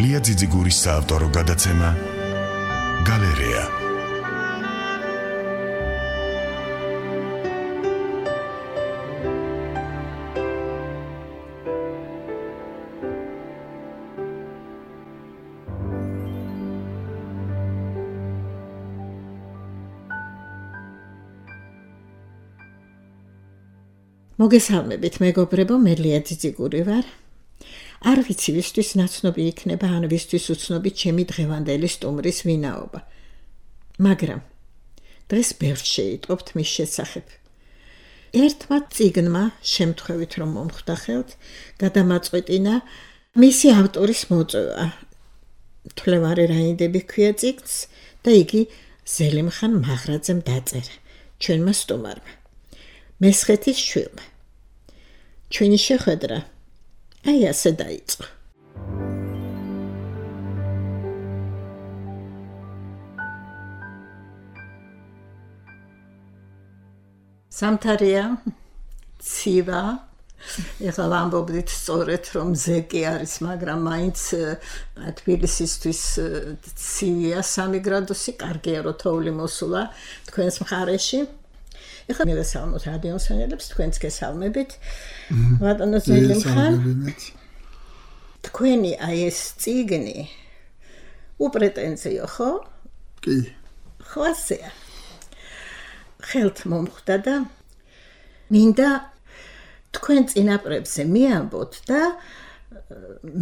ლია ძიძიგურის საავტორო გადაცემა გალერეა. მოგესალმებით მეგობრებო, მე ლია ძიძიგური ვარ. არ ვიცი ვისთვის ნაცნობი იქნება, ან ვისთვის უცნობი ჩემი დღევანდელი სტუმრის ვინაობა. მაგრამ დღეს ბევრს შეიტყობთ მის შესახებ. ერთმა წიგნმა, შემთხვევით რომ მომხვდახელთ, გადამაწყვეტინა მისი ავტორის მოწვევა. თვლევარი რაინდები ქვია წიგნს და იგი ზელიმხან მაღრაძემ დაწერა, ჩვენმა სტუმარმა. მესხეთის შვილმა. ჩვენი შეხვედრა აი ასე დაიწყო. სამთარია, ცივა, ეხლა ვამბობდით სწორედ რომ ზეკი არის, მაგრამ მაინც თბილისისთვის ცივია 3 გრადუსი, კარგია რომ თოვლი მოსულა თქვენს მხარეში. ეხლა მივესალმოთ რადიოსანელებს, თქვენც გესალმებით. ბატონო ზელიმხან, თქვენი აი ეს წიგნი უპრეტენზიო, ხო? კი. ხო ასეა. ხელთ მომხვდა და მინდა თქვენ წინაპრებზე მიამბოთ და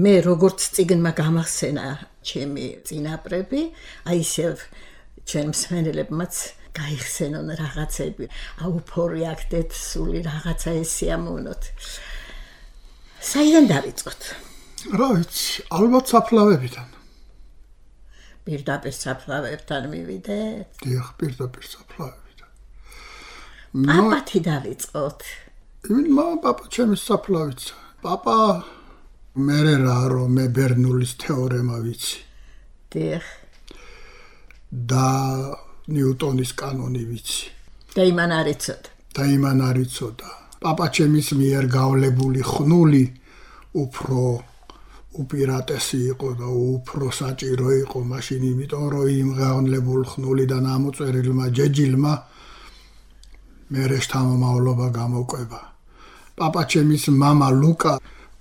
მე როგორც წიგნმა გამახსენა ჩემი წინაპრები, აი ისევ ჩვენ მსმენელებმაც გაიხსენონ რაღაცები, აუფორი აქტეთ სული რაღაცა ესიამოვნოთ. საიდან დავიწყოთ? რა ვიცი, ალბათ საფლავებიდან. პირდაპირ საფლავებთან მივიდეთ? დიახ, პირდაპირ საფლავებიდან. პაპათი დავიწყოთ. პაპა ჩემის საფლავიც. პაპა მერე რა რომ მე ბერნულის თეორემა ვიცი. დიახ. და ნიუტონის კანონი ვიცი. და იმან არ იცოდა. პაპა ჩემის მიერ გავლებული ხნული უფრო უპირატესი იყო და უფრო საჭირო იყო მაშინ, იმიტომ რომ იმ გავლებული ხნულიდან ამოწერილმა ჯეჯილმა მერე შთამომავლობა გამოკვება. პაპა ჩემის მამა ლუკა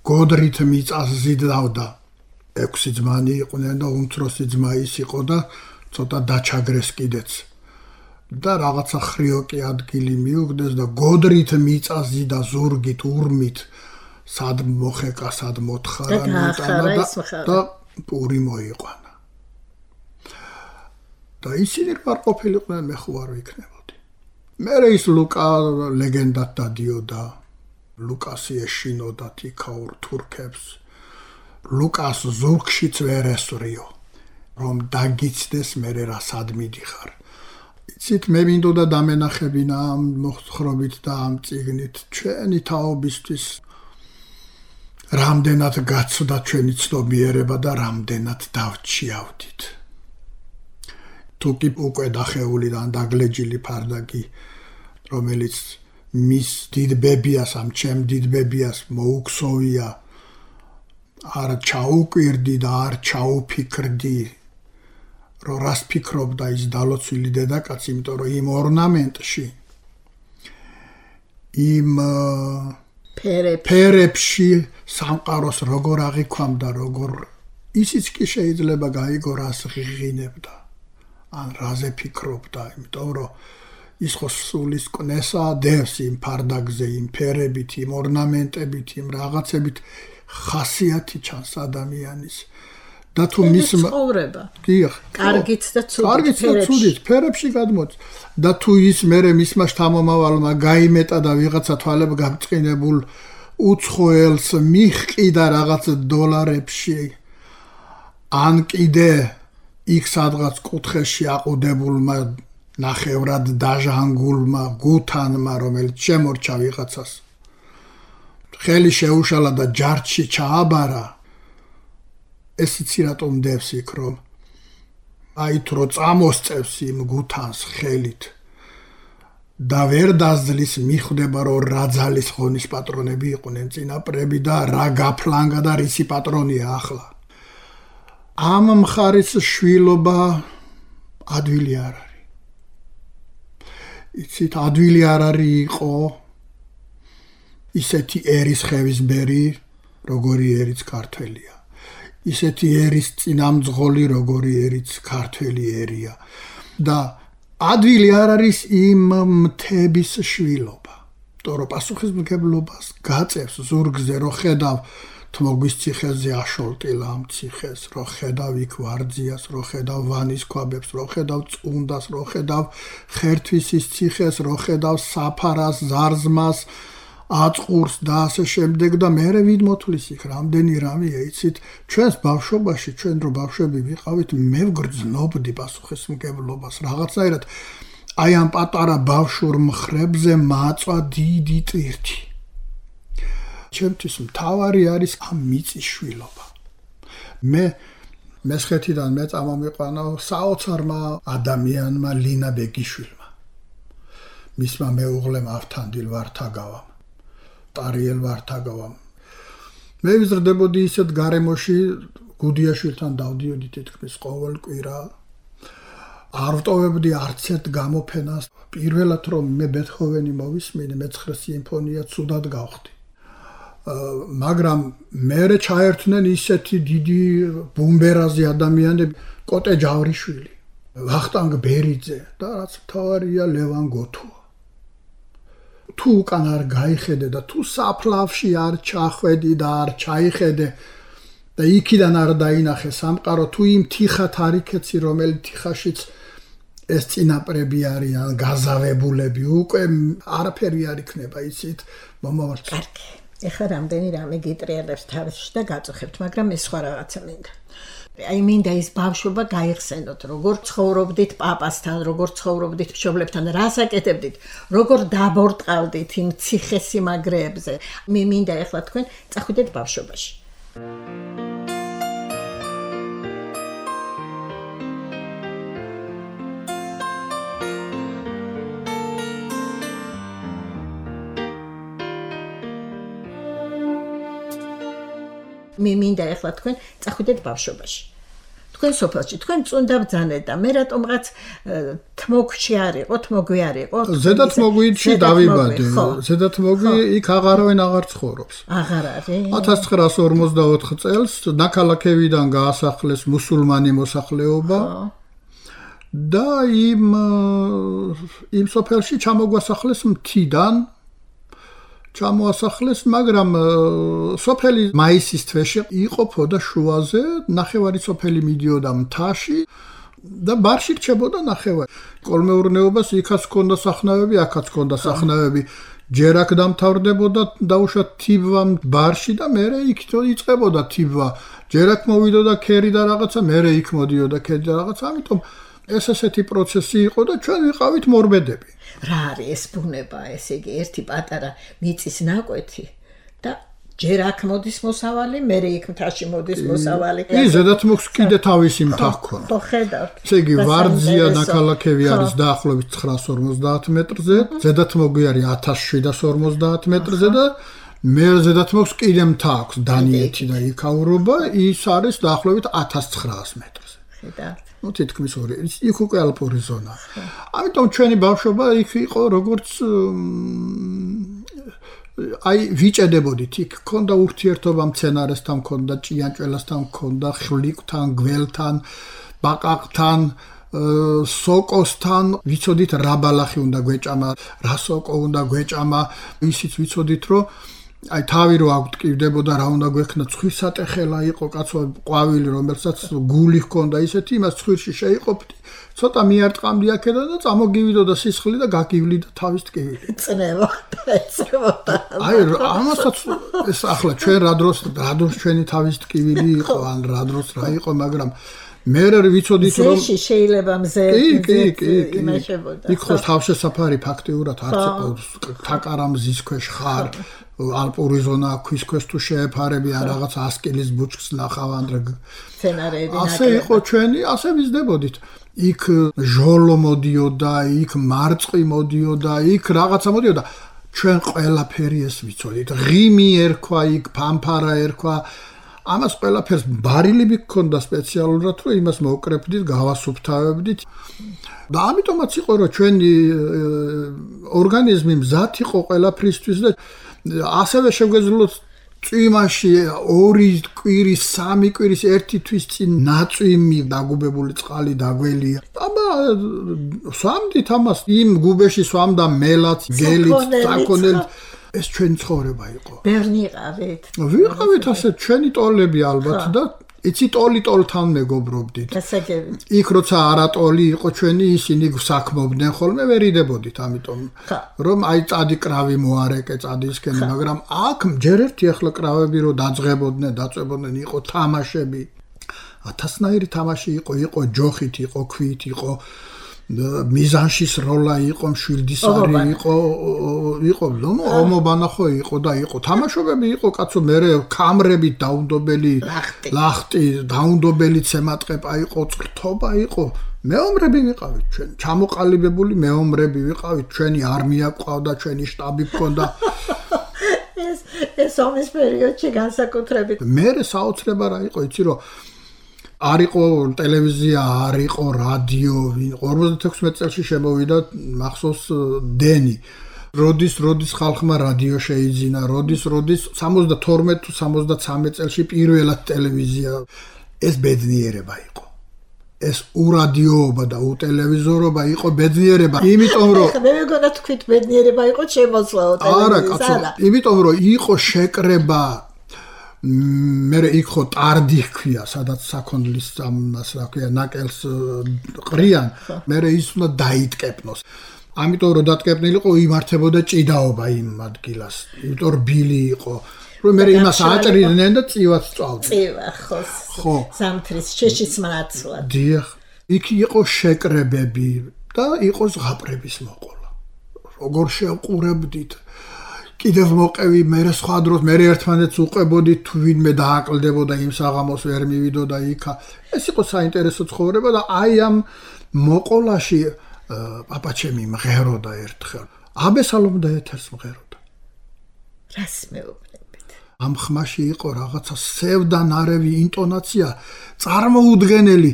გოდრით მიწას ზიდავდა. 6 ძმანი იყვნენ და უმცროსი ძმა ის იყო და ცოტა დაჩაგრეს კიდეც და რაღაცა ხრიოკი ადგილი მიუგდეს და გოდრით მიწაზი და ზურგით ურმით სად მოხეკა, სად მოთხარა და პური მოიყვანა. და ისინი არ ყოფილიყვნენ, მე ხო არ ვიქნებოდი. მერე ის ლუკა ლეგენდად დადიოდა, ლუკასი ეშინოდა თიქაურ თურქებს, ლუკას ზურგშიც ვერ ესვრიო, რომ დაგიცდეს მერე რა სად მიდიხარ. იცით, მე მინდოდა დამენახებინა ამ მოხრობით და ამ წიგნით ჩვენი თაობისთვის რამდენად გაცვდა ჩვენი ცნობიერება და რამდენად დავჩიავდით. თუკი უკვე დახეულიდან დაგლეჯილი ფარდაკი, რომელიც მის დიდ ბებიას, ამ ჩემ დიდ ბებიას მოუქსოვია, არ ჩაუკვირდი და არ ჩაუფიქრდი, რომ რას ფიქრობდა ის დალოცვილი დედაკაცი, იმიტომ რომ იმ ორნამენტში, იმ ფერებში სამყაროს როგორ აღიქვამდა, როგორ ისიც კი შეიძლება გაიგო რას ღიღინებდა, ან რაზე ფიქრობდა, იმიტომ რომ ის ხო სულის კნესა დევს იმ ფარდაკზე, იმ ფერებით, იმ ორნამენტებით, იმ რაღაცებით ხასიათი ჩანს ადამიანის. და თუ მის ცხოვრება. დიახ. კარგიც და ცუდით ფერებში გადმოც. და თუ ის მერე მისმა შთამომავალმა გაიმეტა და ვიღაცა თვალებ გამწყინებულ უცხოელს მიჰყიდა რაღაც დოლარებში, ან კიდე იქ სადღაც კუთხეში აყუდებულმა ნახევრად დაჟანგულმა გუთანმა, რომელიც შემორჩა ვიღაცას, ხელი შეუშალა და ჯარჯში ჩააბარა, ეს იცი რატომ დევს იქ, რომ აი თუ რო წამოსწევს იმ გუთანს ხელით და ვერ დაძლის, მიხვდება რომ რა ძალის ხონის პატრონები იყვნენ წინაპრები და რა გაფლანგა და რისი პატრონია ახლა. ამ მხარის შვილობა ადვილი არ არის. იცით, ადვილი არ არის იყო ისეთი ერის ხევისბერი, როგორი ერიც ქართველია. ისეთი ერის წინამძღოლი, როგორი ერიც ქართველი ერია. და ადვილი არ არის იმ მთების შვილობა. თორე პასუხისმგებლობას გაწევს ზურგზე, რო ხედავ თმოგვის ციხეზე აშოლტილა ამ ციხეს, რო ხედავ იქ ვარძიას, რო ხედავ ვანის ქვაბებს, რო ხედავ წუნდას, რო ხედავ ხერთვისის ციხეს, რო ხედავ საფარას, ზარზმას, აწყურს და ასე შემდეგ და მერე ვიდ მოთulis იქ რამდენი რამეა იცით ჩვენს ბავშვობაში ჩვენ რო ბავშვები ვიყავით მე ვგრძნობდი პასუხისმგებლობას რაღაცნაირად აი ამ პატარა ბავშვურ მხრებზე მაწვა დიდი ტვირთი ჩემთვის მთავარი არის ამ მიწის შვილობა მე მესხეთიდან მე წამომიყვანა საოცარმა ადამიანმა ლინა ბეგიშვილმა მისმა მეუღლემ ავთანდილ ვართაგავამ ტარიელ ვართაგავამ მე ვიზრდებოდი ისეთ გარემოში გუდიაშვილთან დავდიოდი თითქმის ყოველ კვირა არ ვტოვებდი არც ერთ გამოფენას პირველად რომ მე ბეთჰოვენი მოვისმინე მე-9 სიმფონია ცუდად გავხდი მაგრამ მერე ჩაერთნენ ისეთი დიდი ბუმბერაზი ადამიანები კოტე ჯავრიშვილი ვახტანგ ბერიძე და რაც მთავარია ლევან გოთუა თუ უკან არ გაიხედე და თუ საფლავში არ ჩახვედი და არ ჩაიხედე და იქიდან არ დაინახე სამყარო თუ იმ თიხათ არ იქეცი რომელიც თიხაშიც ეს წინაპრები არიან გაზავებულები უკვე არაფერი არ იქნება იცით მომავალ კარგი ეხლა რამდენი რამე გიტრიალებს თავში და გაწუხებთ მაგრამ ეს სხვა რაღაცა მინდა აი მინდა ის ბავშვობა გაიხსენოთ როგორ ცხოვრობდით პაპასთან როგორ ცხოვრობდით მშობლებთან რას აკეთებდით როგორ დაბორტყავდით იმ ციხესიმაგრეებზე მე მინდა ეხლა თქვენ წახვიდეთ ბავშვობაში მე მინდა ეხლა თქვენ წახვიდეთ ბავშვობაში. თქვენ სოფელში, თქვენ წუნდა ბძანეთ და მე რატომღაც თმოგში არ იყო, თმოგვი არ იყო. ზედა თმოგვიში დავიბადე. ზედა თმოგვი იქ აღარავინ აღარ ცხოვრობს. აღარ არის. 1944 წელს ნაქალაქევიდან გაასახლეს მუსულმანი მოსახლეობა. და იმ სოფელში ჩამოგვასახლეს მთიდან ჩამოასახლეს, მაგრამ სოფელი მაისის თვეში იყოფოდა შუაზე, ნახევარი სოფელი მიდიოდა მთაში და ბარში რჩებოდა ნახევარი. კოლმეურნეობას იქაც ჰქონდა სახნავები, აქაც ჰქონდა სახნავები. ჯერ აქ დამთავრდებოდა დაუშვათ თიბვა ბარში და მერე იქ იწყებოდა თიბვა. ჯერ აქ მოვიდოდა ქერი და რაღაცა, მერე იქ მოდიოდა ქერი და რაღაცა, ამიტომ ეს ესეთი პროცესი იყო და ჩვენ ვიყავით მორბედები. რა არის ეს ბუნება, ესე იგი ერთი პატარა მიწის ნაკვეთი და ჯერ აქ მოდის მოსავალი, მერე იქ მთაში მოდის მოსავალი. ზედათ მოხს კიდე თავისი მთა ჰქონდა. ხო, ხედავთ. ესე იგი ვარძია ნაქალაქევი არის დაახლოებით 950 მეტრზე, ზედათ მოგვი არის 1750 მეტრზე და მე ზედათ მოხს კიდე მთა აქვს დანიეთი და იქაურობა, ის არის დაახლოებით 1900 მეტრზე. ხედავთ. ну თითქმის ორი იქ უკვე ალპური ზონა. ამიტომ ჩვენი ბავშვობა იქ იყო როგორც აი ვიჭედებოდით იქ ქონდა ურთიერთობა მცენარესთან, ქონდა ჭიანჭველასთან, ქონდა ხვლიკთან, გველთან, ბაყაყთან, სოკოსთან, ვიცოდით რა ბალახი უნდა გვეჭამა, რა სოკო უნდა გვეჭამა, ისიც ვიცოდით რომ აი თავი რო აგვტკივდებოდა რა უნდა გვექნა ცხვირსატეხელა იყო კაცო ყვავილი რომელსაც გული ჰქონდა ისეთი იმას ცხვირში შეიყოფდი ცოტა მიარტყამდი აქედან და წამოგივიდოდა სისხლი და გაგივლიდა თავის ტკივილი წნევოდა აი ამასაც ეს ახლა ჩვენ რა დროს ჩვენი თავის ტკივილი იყო ან რა დროს რა იყო მაგრამ მე ვიცოდით რომ შეიძლება მზე იმაშებოდა იქ ხო თავშესაფარი ფაქტიურად არც იყო თაკარამზის ქვეშ ხარ ალპური ზონა ქვის ქვეშ თუ შეეფარები ან რაღაც 100 კილის ბუჩქს ნახავანდრე სცენარები ასე იყო ჩვენი ასე ვიზდებოდით იქ ჟოლო მოდიოდა იქ მარწყი მოდიოდა იქ რაღაცა მოდიოდა ჩვენ ყველაფერი ეს ვიცოდით ღიმი ერქვა იქ ფამფარა ერქვა ამას ყველაფერს ბარილები გქონდა სპეციალურად, რომ იმას მოვკრებდით, გავასუფთავებდით. და ამიტომაც იყო, რომ ჩვენი ორგანიზმი მზად იყო ყველაფრისთვის და ასევე შეგვეძლოთ წვიმაში 2 კვირის, 3 კვირის ერთი თვის წინ ნაწვიმი დაგუბებული წყალი დაგველია. აბა სვამდით ამას, იმ გუბეში სვამდა მელაც, გელიც, საქონელით. ეს ჩვენი ცხოვრება იყო. ბევრი იყავით. ვიყავით ასე ჩვენი ტოლები ალბათ და იცი ტოლთან მეგობრობდით. გასაგებია. იქ როცა არატოლი იყო ჩვენი ისინი საქმობდნენ ხოლმე ვერიდებოდით, ამიტომ რომ აი წადი კრავი მოარეკე წადისკენ, მაგრამ აქ ჯერ ერთი ახლა კრავები რო დაძღებოდნენ, დაწვებოდნენ, იყო თამაშები. 1000-ნაირი თამაში იყო ჯოხით, იყო ქვით, იყო მიზანშის როლა იყო, მშვილდისარი იყო, ნუ ომობანა ხო იყო და იყო თამაშობები იყო, კაცო, მე კამრებით დაუნდობელი ლახტი, დაუნდობელი ცემატყეპა იყო, წრთობა იყო. მეომრები ვიყავით ჩვენ, ჩამოყალიბებული მეომრები ვიყავით, ჩვენი არმია ყავდა, ჩვენი შტაბი გქონდა. ეს ომის პერიოდში განსაკუთრებით. მე საოცრება რა იყო, იცი რომ არ იყო ტელევიზია, არ იყო რადიო, 56 წელში შემოვიდა მახსოვს დენი. როდის ხალხმა რადიო შეიძინა, როდის 72 თუ 73 წელში პირველად ტელევიზია. ეს ბედნიერება იყო. ეს ურადიოობა და უტელევიზორობა იყო ბედნიერება. იმიტომ რომ მე მეგონა თქვით ბედნიერება იყო შემოწლაო ტელევიზია. არა, კაცო, იმიტომ რომ იყო შეკრება მე იქ ხო ტარდი ჰქვია, სადაც საქონლის ამას რა ქვია, ნაკელს ყრიან, მე ის უნდა დაიტკეპნოს. ამიტომ რომ დატკეპნილიყო, იმართებოდა ჭიდაობა იმ ადგილას. იმიტომ რბილი იყო, რომ მე იმას აჭრიდნენ და წივაც წავდნენ. წივა, ხო. ზამთრის შეშიც მნაცვლად. დიახ, იქ იყო შეკრებები და იყო ზღაპრების მოყოლა. როგორ შევყურებდით კიდევ მოყევი, მე სხვა დროს მე ერთმანეთს უყებოდით, თუ ვინმე დააკლდებოდა იმ საღამოს ვერ მივიდოდა იქა. ეს იყო საინტერესო ცხოვრება და აი ამ მოყოლაში პაპაჩემი მღეროდა ერთხელ. აბესალომ და ეთერს მღეროდა. რას მეუბნებით? ამ ხმაში იყო რაღაცა სევდანარევი ინტონაცია, წარმოუდგენელი.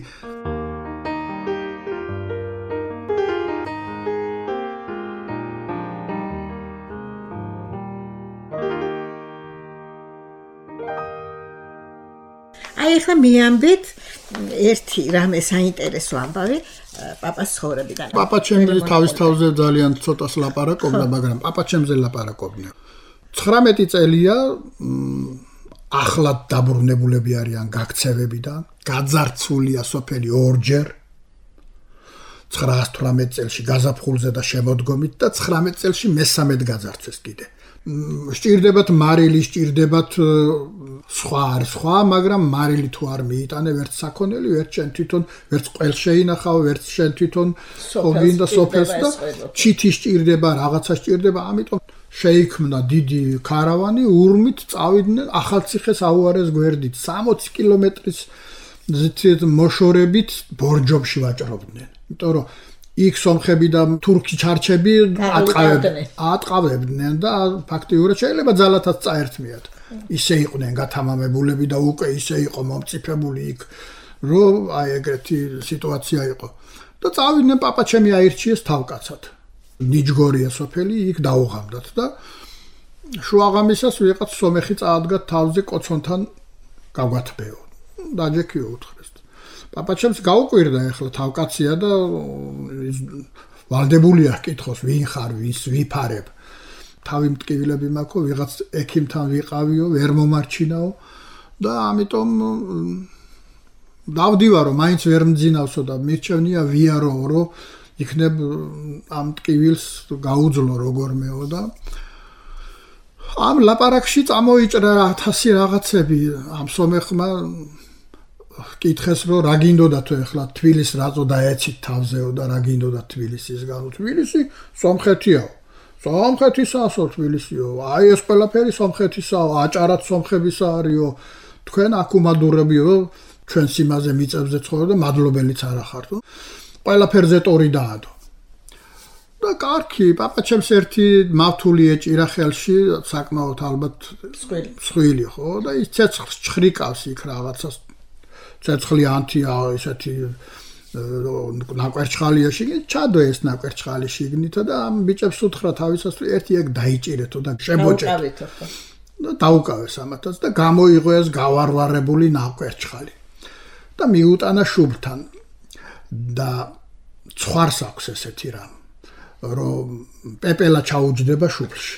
ახლა მიამბეთ ერთი რამე საინტერესო ამბავი პაპას ცხოვრებიდან. პაპაჩემი თავის თავზე ძალიან ცოტას ლაპარაკობდა, მაგრამ პაპაჩემზე ლაპარაკობდნენ. 19 წელია ახლად დაბრუნებულები არიან გაქცევებიდან, გაძარცულია სოფელი ორჯერ. 918 წელში გაზაფხულზე და შემოდგომით და 19 წელში მესამედ გაძარცვეს კიდე. სჭირდებათ მარილი, სჭირდებათ სხვა, მაგრამ მარილი თუ არ მიიტანე ვერც საქონელი, ვერც შენ თვითონ, ვერც ყველს შეინახავ, ვერც შენ თვითონ გინდა სოფელს და ჩითი სჭირდება, რაღაცა სჭირდება, ამიტომ შეიქმნა დიდი ქარავანი, ურმით წავიდნენ ახალციხეს აუარეს გვერდით, 60 კილომეტრის მოშორებით ბორჯომში ვაჭრობდნენ. იმიტომ რომ იქ სომხები და თურქი ჩარჩები ატყავებდნენ და ფაქტიურად შეიძლება ძალათაც წაერთმიათ. ისე იყვნენ გათამამებულები და უკვე ისე იყო მომწიფებული იქ, რომ აი ეგრეთი სიტუაცია იყო. და წავიდნენ პაპაჩემი აირჩიეს თავკაცად. ნიჯგორია სოფელი, იქ დაუღამდათ და შუაღამისას ვიღაც სომეხი წაადგა თავზე კოცონთან გაგვათბეო. დაჯექიო უთხრეს. პაპაჩემს გაუკვირდა ახლა თავკაცია და ვალდებულია კითხოს ვინ ხარ, ვის ვიფარებ. თავი მტკივილები მაქვს, ვიღაც ექიმთან ვიყავიო, ვერ მომარჩინაო და ამიტომ დავდივარო, მაინც ვერ მძინავსო და მირჩევნია ვიარო, რომ იქნებ ამ ტკივილს გაუძლო როგორმეო და ამ ლაპარაკში წამოიჭრა 1000 რაღაცები ამ სომეხმა კითხეს რომ რა გინდოდა თუ ეხლა თბილის რაწო დაეცით თავზეო და რა გინდოდა თბილისისგან თბილისი სომხეთიაო სომხეთისაო თბილისიო აი ეს ყველაფერი სომხეთისაო აჭარად სომხებისა არისო თქვენ აკუმადურებიო ჩვენ სიმაზე მიწებზე ცხოვრობ და მადლობელიც არ ახართ ყველაფერზე ტორი დაადო და კარგი, პაპაჩემს ერთი მავთული ეჭირა ხელში, საკმაოდ ალბათ მსხვილი, ხო? და ის ცეცხლს ჩხრიკავს იქ რაღაცას. ცეცხლი ანთია ესეთი ნაკვერჩხალია შიგნით, ჩადო ეს ნაკვერჩხალი შიგნით და ამ ბიჭებს უთხრა თავისას თუ ერთი ეგ დაიჭირეთო და შემოჭეთო. და დაუკავეს ამათაც და გამოიღო ეს გავარვარებული ნაკვერჩხალი. და მიუტანა შუბთან და ცხვარს აქვს ესეთი რამ, რომ პეპელა ჩაუჯდება შუბლში.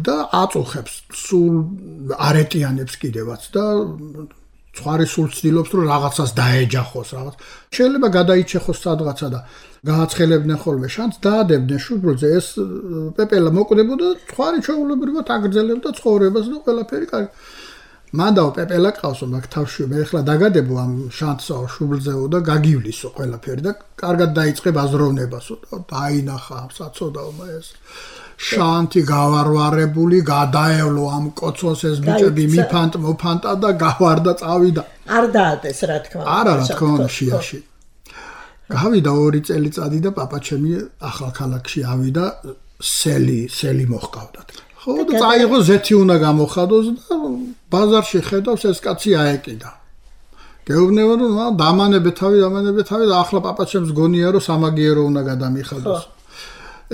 და აწუხებს სულ არეტიანებს კიდევაც და ცხვარი სულ ცდილობს რომ რაღაცას დაეჯახოს რაღაც. შეიძლება გადაიჩეხოს სადღაცა და გააცხელებდნენ ხოლმე შანს, დაადებდნენ შუბლზე ეს პეპელა მოკვდებოდა, ცხვარი ჩვეულებრივად აგრძელებდა ცხოვრებას და ყველაფერი კარგი. მანდაო პეპელა ყავსო მაგ თავში მე ახლა დაგადებო ამ შანსო შუბლზეო და გაგივლისო ყველაფერი და კარგად დაიწყე ბაზროვნებასო და დაინახა საწოდაობა ეს შანთი გავარვარებული გადაევლო ამ კოცოს ეს ბიჭები მოფანტა და გავარდა წავიდა არ დაადეს რა თქმა უნდა არა რა თქმა უნდა შიაში გავიდა 2 წელიწადი და პაპაჩემი ახალქალაქში ავიდა სელი მოჰყავდათ ხო და წაიღო ზეთი უნდა გამოხადოს და ბაზარში ხედავს ეს კაცი აეკიდა გეუბნება რომ დამანებე თავი და ახლა პაპაჩემს გონია რომ სამაგიერო უნდა გადამიხადოს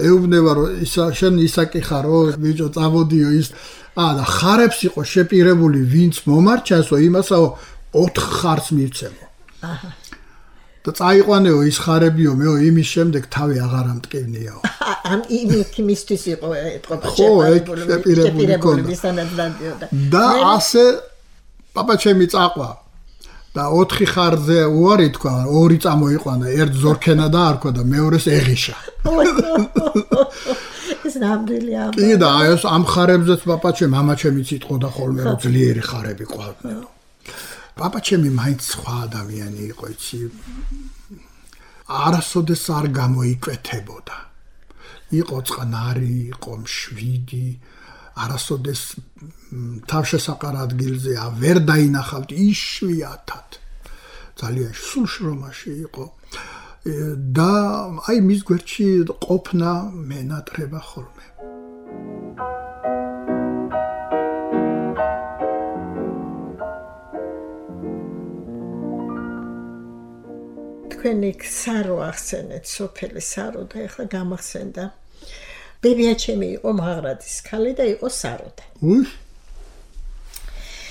ეუბნება რომ შენ ისაკი ხარო ბიჭო წამოდიო ის და ხარებს იყო შეპირებული ვინც მომარჩასო იმასაო 4 ხარს მივცემო და წაიყვანეო ის ხარებიო მეო იმის შემდეგ თავი აღარ ამტკივნიაო ამ იმისთვის იყო ეთყობა შეპირებული და ასე პაპაჩემი წაყვა და 4 ხარზე უარი თქვა 2 წამოიყვანა ერთ ზორქენა დაარქვა და მეორეს ეღიშა ეს ნამდვილია კი და ეს ამ ხარებზეც პაპაჩემი მამაჩემიც იტყოდა ხოლმე რომ ძლიერი ხარები ყავდნენ პაპაჩემი მაინც სხვა ადამიანი იყო იცი არასოდეს არ გამოიკვეთებოდა იყო წყნარი იყო მშვიდი არასოდეს თავშესაყარ ადგილზე ვერ დაინახავთ იშვიათად ძალიან სულ შრომაში იყო და აი მის გვერდში ყოფნა მენატრება ხოლმე თქვენი სარო ახსენეთ სოფელი სარო და ეხლა გამახსენდა ბებიაჩემი იყო მაღრაძის ქალი და იყო საროდა.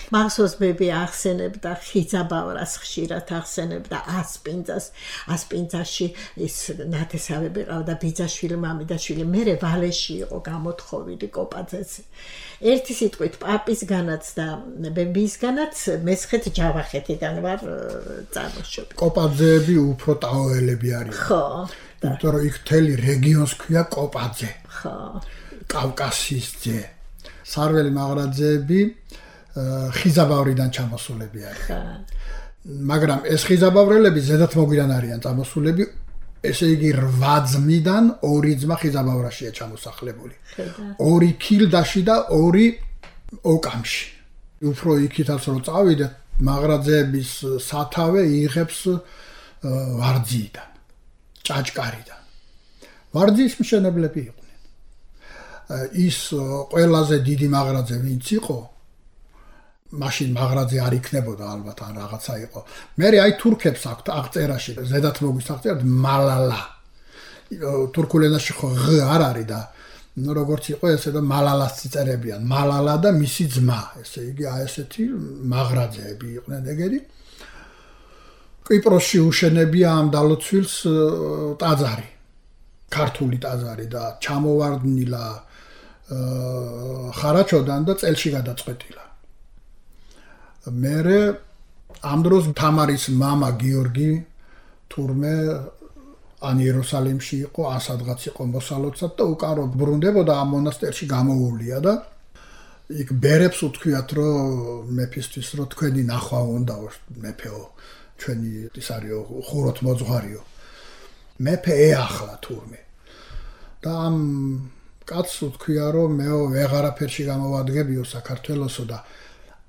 მახსოვს ბები ახსენებდა ხიძაბავრას ხშირად ახსენებდა ასპინძაში ის ნათესავები ყავდა ბიძაშვილი მამიდაშვილი მერე ვალეში იყო გამოთხოვილი კოპაძეც ერთი სიტყვით პაპისგანაც და ბებისგანაც მესხეთ ჯავახეთიდან ვარ წარმოშობილი კოპაძეები უფრო ტაოელები არიან ხო იმიტომ რომ იქ მთელი რეგიონს ქვია კოპაძე ხო კავკასიის ძე სარველი მაღრაძეები ხიზაბავრიდან ჩამოსულები არიან მაგრამ ეს ხიზაბავრელები ზედათ მოგვიდან არიან წამოსულები ესე იგი 8 ძმიდან 2 ძმა ხიზაბავრაშია ჩამოსახლებული 2 ქილდაში და 2 ოკამში უფრო იქითაც რომ წავიდეთ მაღრაძეების სათავე იღებს ვარძიიდან ჭაჭკარიდან ვარძიის მშენებლები იყვნენ ის ყველაზე დიდი მაღრაძე ვინც იყო მაშინ მაღრაძე არ იქნებოდა ალბათ ან რაღაცა იყო მე აი თურქებს აქვთ აღწერაში ზედათ მოგვისახწერთ მალალა თურქულ ენაში ხო ღ არ არის და როგორც იყო ესე და მალალას წერებიან მალალა და მისი ძმა ესე იგი აი ესეთი მაღრაძეები იყვნენ ეგეთი კვიპროსში უშენებია ამ დალოცვილს ტაძარი ქართული ტაძარი და ჩამოვარდნილა ხარაჩოდან და წელში გადაწყვეტილა მერე ამ დროს თამარის მამა გიორგი თურმე ან იერუსალიმში იყო ან სადღაც იყო მოსალოცად და უკან რო ბრუნდებოდა ამ მონასტერში გამოუვლია და იქ ბერებს უთქვიათ რომ მეფისთვის რომ თქვენი ნახვა უნდაო მეფეო ჩვენი ის არისო ხუროთ მოძღვარიო მეფე ეახლა თურმე და ამ კაცს უთქვია რომ მეო ვეღარაფერში გამოვადგებიო საქართველოსო და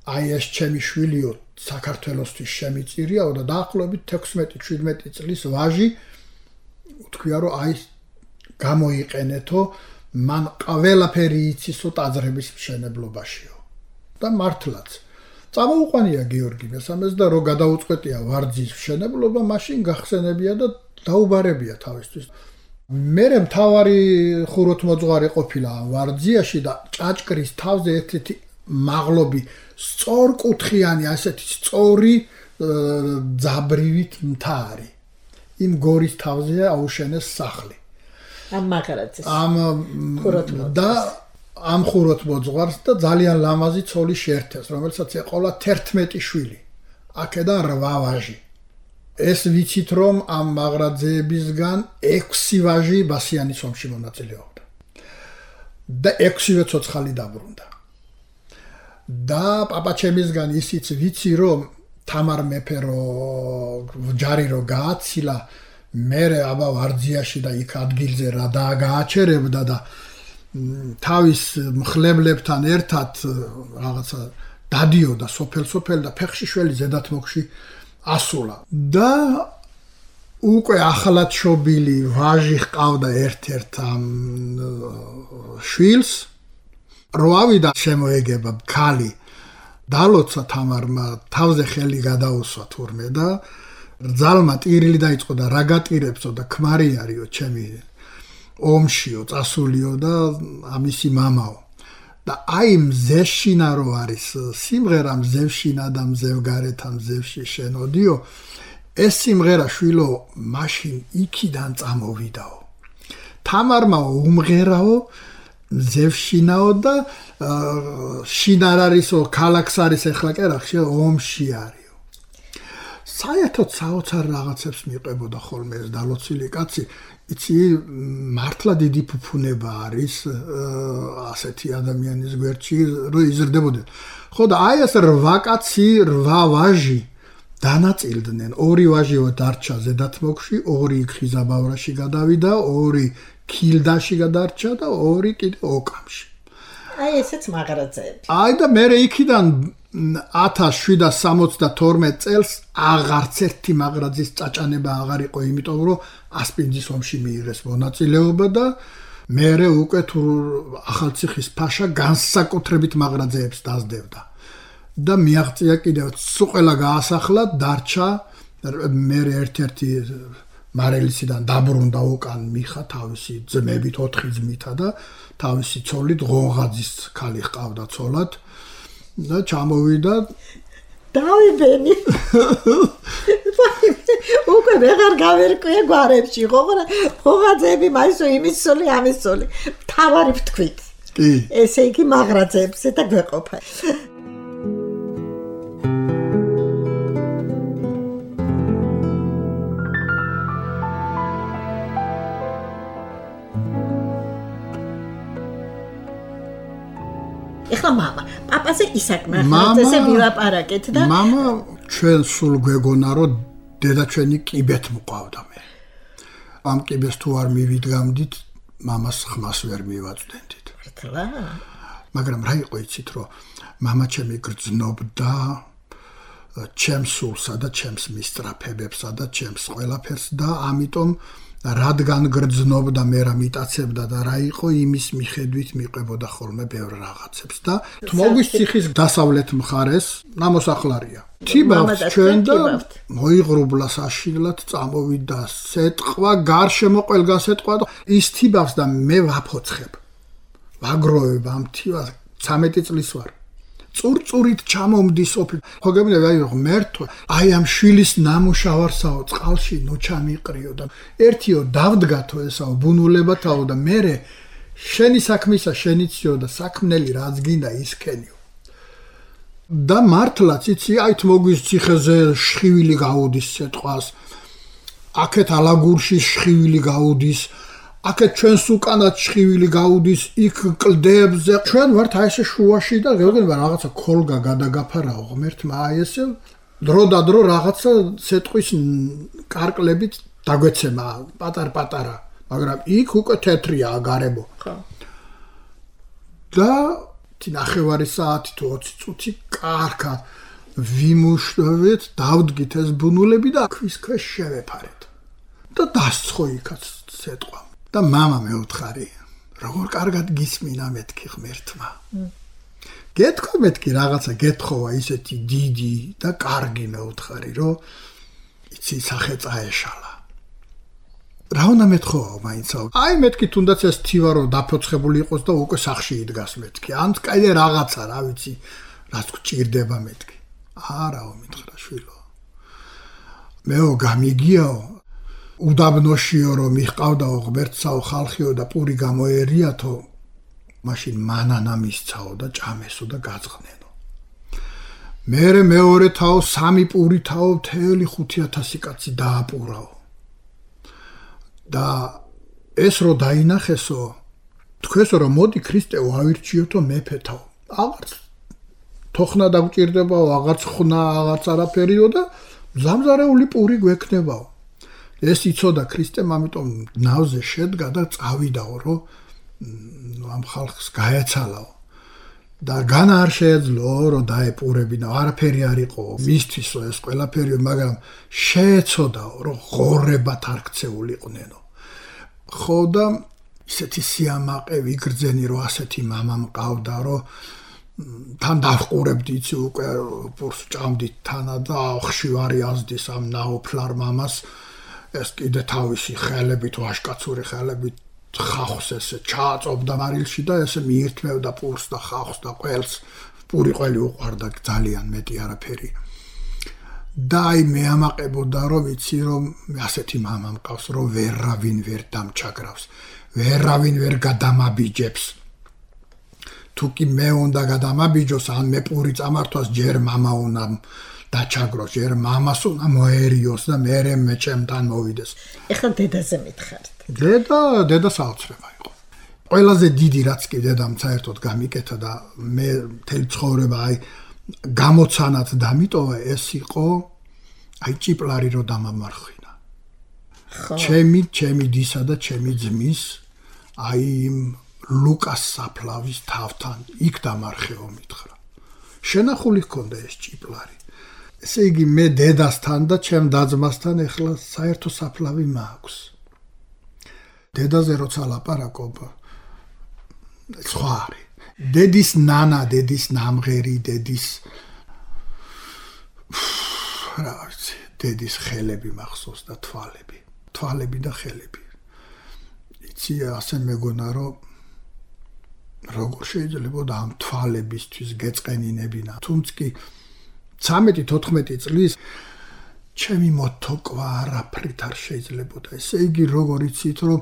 აი ეს ჩემი შვილიო საქართველოსთვის შემიწირიაო და დაახლოებით 16-17 წლის ვაჟი უთქვია რომ აი გამოიყენეთო მან ყველაფერი იცისო ტაძრების მშენებლობაშიო და მართლაც წამოუყვანია გიორგი მესამეს და რო გადაუწყვეტია ვარძის მშენებლობა მაშინ გახსენებია და დაუბარებია თავისთვის მერე მთავარი ხუროთმოძღვარი ყოფილა ვარძიაში და ჭაჭკრის თავზე ერთ-ერთი მაღლობი სწორკუთხიანი ასეთი სწორი ძაბრივით მთა არის იმ გორის თავზე აუშენეს სახლი ამ მაღარაძეს ამ ხუროთმოძღვარს და ძალიან ლამაზი ცოლი შეერთეს რომელსაც ეყოლა 11 შვილი აქედან 8 ვაჟი ეს ვიცით რომ ამ მაღრაძეებისგან 6 ვაჟი ბასიანის ომში მონაწილეობდა და 6-ვე ცოცხალი დაბრუნდა და პაპაჩემისგან ისიც ვიცი რომ თამარ მეფე რო ჯარი რო გააცილა მერე აბა ვარძიაში და იქ ადგილზე რა დააგააჩერებდა და თავის მხლებლებთან ერთად რაღაცა დადიოდა სოფელ და ფეხშიშველი ზედათმოგში ასულა და უკვე ახალად შობილი ვაჟი ჰყავდა ერთ-ერთ ამ შვილს რო ავიდა შემოეგება ქალი დალოცა თამარმა თავზე ხელი გადაუსვა თურმე და რძალმა ტირილი დაიწყო და რა გატირებსო და ქმარი არისო ჩემი ომშიო წასულიო და ამისი მამაო და აი მზეშინა რო არის სიმღერა მზევშინა და მზევგარეთა მზევში შენოდიო ეს სიმღერა შვილო მაშინ იქიდან წამოვიდაო თამარმა უმღერაო მზევშინაო და შინარ არისო ქალაქს არის ეხლა კერახში ომში არისო საერთოდ საოცარ რაღაცებს მიყვებოდა ხოლმე ეს დალოცილი კაცი იცი მართლა დიდი ფუფუნება არის ასეთი ადამიანის გვერდში რომ იზრდებოდნენ ხო და აი ეს 8 კაცი 8 ვაჟი დანაწილდნენ 2 ვაჟიო დარჩა ზედათმოგში 2 ხიზაბავრაში გადავიდა 2 ქილდაში გადარჩა და 2 კიდე ოკამში აი ესეც მაღრაძეები აი და მე იქიდან 1772 წელს აღარც ერთი მაღრაძის წაჭანება აღარ იყო იმიტომ რომ ასპინძის ომში მიიღეს მონაწილეობა და მე უკვე თუ ახალციხის ფაშა განსაკუთრებით მაღრაძეებს დაძდებდა და მიაღწია კიდევ სუყელა გაასახლა დარჩა მე ერთ-ერთი მარელისიდან დაბრუნდა უკან მიხა თავისი ძმებით 4 ძმითა და თავისი ცოლით ღონღაძის ქალი ჰყავდა ცოლად და ჩამოვიდა დავიბენი უკვე ვეღარ გავერკვია გვარებში ღონღაძეები მაისო იმის ცოლი ამის ცოლი თავარი ვთქვით კი ესე იგი მაღრაძეებზე და გვეყოფა ეხლა მამა პაპაზე ისაკ მაღრაძეზე ვილაპარაკეთ და მამა ჩვენ სულ გვეგონა რომ დედა ჩვენი კიბეთ მყავდა მე ამ კიბეს თუ არ მივიდგამდით მამას ხმას ვერ მივაწვდენდით მართლა მაგრამ რა იყო იცით რომ მამა ჩემი გრძნობდა ჩემს სულსა და ჩემს მისწრაფებებსა და ჩემს ყველაფერს და ამიტომ რადგან გრძნობდა მე რა მიტაცებდა და რა იყო იმის მიხედვით მიყვებოდა ხოლმე ბევრ რაღაცებს და თმოგვის ციხის დასავლეთ მხარეს ნამოსახლარია თიბავს ჩვენ და მოიღრუბლა საშინლად წამოვიდა სეტყვა გარშემო ყველგან სეტყვა და ის თიბავს და მე ვაფოცხებ ვაგროვებ ამ თივას 13 წლის ვარ წურწურით ჩამომდის ოფლი ხო გემია აი ღმერთო აი ამ შვილის ნამუშავარსაო წყალში ნუ ჩამიყრიო და ერთიო დავდგათო ესაო ბუნულებათაო და მე შენი საქმისა შენიციო და საქმნელი რაც გინდა ისქენიო და მართლაც იცი აი თმოგვის ციხეზე შხივილი გაუდის სეტყვას აქეთ ალაგურში შხივილი გაუდის აქეთ ჩვენს უკანაც შხივილი გაუდის იქ კლდებზე ჩვენ ვართ აი ესე შუაში და გეგონება რაღაცა ქოლგა გადაგაფარაო ღმერთმა აი ესე დრო და დრო რაღაცა სეტყვის კარკლებით დაგვეცემა პატარ-პატარა მაგრამ იქ უკვე თეთრია აგარებო ხო და ნახევარი საათი თუ 20 წუთი კარგად ვიმუშავეთ დავდგით ეს ბუნულები და ქვის ქვეშ შევეფარეთ და დასცხო იქაც სეტყვა და მამა მეუთხარი როგორ კარგად გისმინა მეთქი ღმერთმა გეთქო მეთქი რაღაცა გეთხოვა ისეთი დიდი და კარგი მეუთხარი რომ იცი სახე წაეშალა რა უნდა მეთხოვაო მაინც აი მეთქი თუნდაც ეს თივა რომ დაფოცხებული იყოს და უკვე სახში იდგას მეთქი ან კიდე რაღაცა რა ვიცი რაც გჭირდება მეთქი არაო მითხრა შვილო მეო გამიგიაო უდაბნოშიო რომ მიყავდაო ღმერთსაო ხალხიო და პური გამოერიათო მაშინ მანანა მისცაო და ჭამესო და გაწყნენო მერე მეორე თაო სამი პური თაო მთელი 5000 კაცი დააპურაო და ეს რო დაინახესო თქვენსო რომ მოდი ქრისტეო ავირჩიოთო მეფეთაო აღარც თოხნა დაგჭირდებაო აღარც ხნა აღარც არაფერიო და ზამზარეული პური გვექნებაო ეს იცოდა ქრისტემ ამიტომ ნავზე შედგა და წავიდაო რომ ამ ხალხს გაეცალაო და განა არ შეეძლო რომ დაეპურებინა არაფერი არ იყო მისთვის ეს ყველაფერი მაგრამ შეეცოდაო რომ ღორებად არ ქცეულიყვნენო ხო და ისეთი სიამაყე ვიგრძენი რომ ასეთი მამა მყავდა რომ თან დავყურებდი იცი უკვე პურს ჭამდით თანა და ხშირი აზდის ამ ნაოფლარ მამას ეს კიდე თავისი ხელებით ვაშკაცური ხელებით ხახს ესე ჩააწობდა მარილში და ესე მიირთმევდა პურს და ხახს და ყველს პური ყველი უყარდა ძალიან მეტი არაფერი და აი მეამაყებოდა რომ ვიცი რომ ასეთი მამა მყავს რომ ვერავინ ვერ დამჩაგრავს ვერავინ ვერ გადამაბიჯებს თუკი მე უნდა გადამაბიჯოს ან მე პური წამართვას ჯერ მამა უნდა დაჩაგროს ჯერ მამას უნდა მოერიოს და მერე მე ჩემთან მოვიდეს ეხლა დედაზე მითხარით დედა საოცრება იყო ყველაზე დიდი რაც კი დედამ საერთოდ გამიკეთა და მე მთელი ცხოვრება აი გამოცანად დამიტოვა ეს იყო აი ჭიპლარი რო დამამარხინა ჩემი დისა და ჩემი ძმის აი ლუკას საფლავის თავთან იქ დამარხეო მითხრა შენახული ჰქონდა ეს ჭიპლარი ესე იგი მე დედასთან და ჩემ დაძმასთან ეხლა საერთო საფლავი მაქვს დედაზე როცა ლაპარაკობ სხვა არის დედის ნანა დედის ნამღერი დედის რა ვიცი დედის ხელები მახსოვს და თვალები და ხელები იცი ასე მეგონა რომ როგორ შეიძლება და ამ თვალებისთვის გეწყენინებინა თუმცა კი 13-14 წლის ჩემი მოთოკვა არაფრით არ შეიძლებოდა ესე იგი როგორ იცით რომ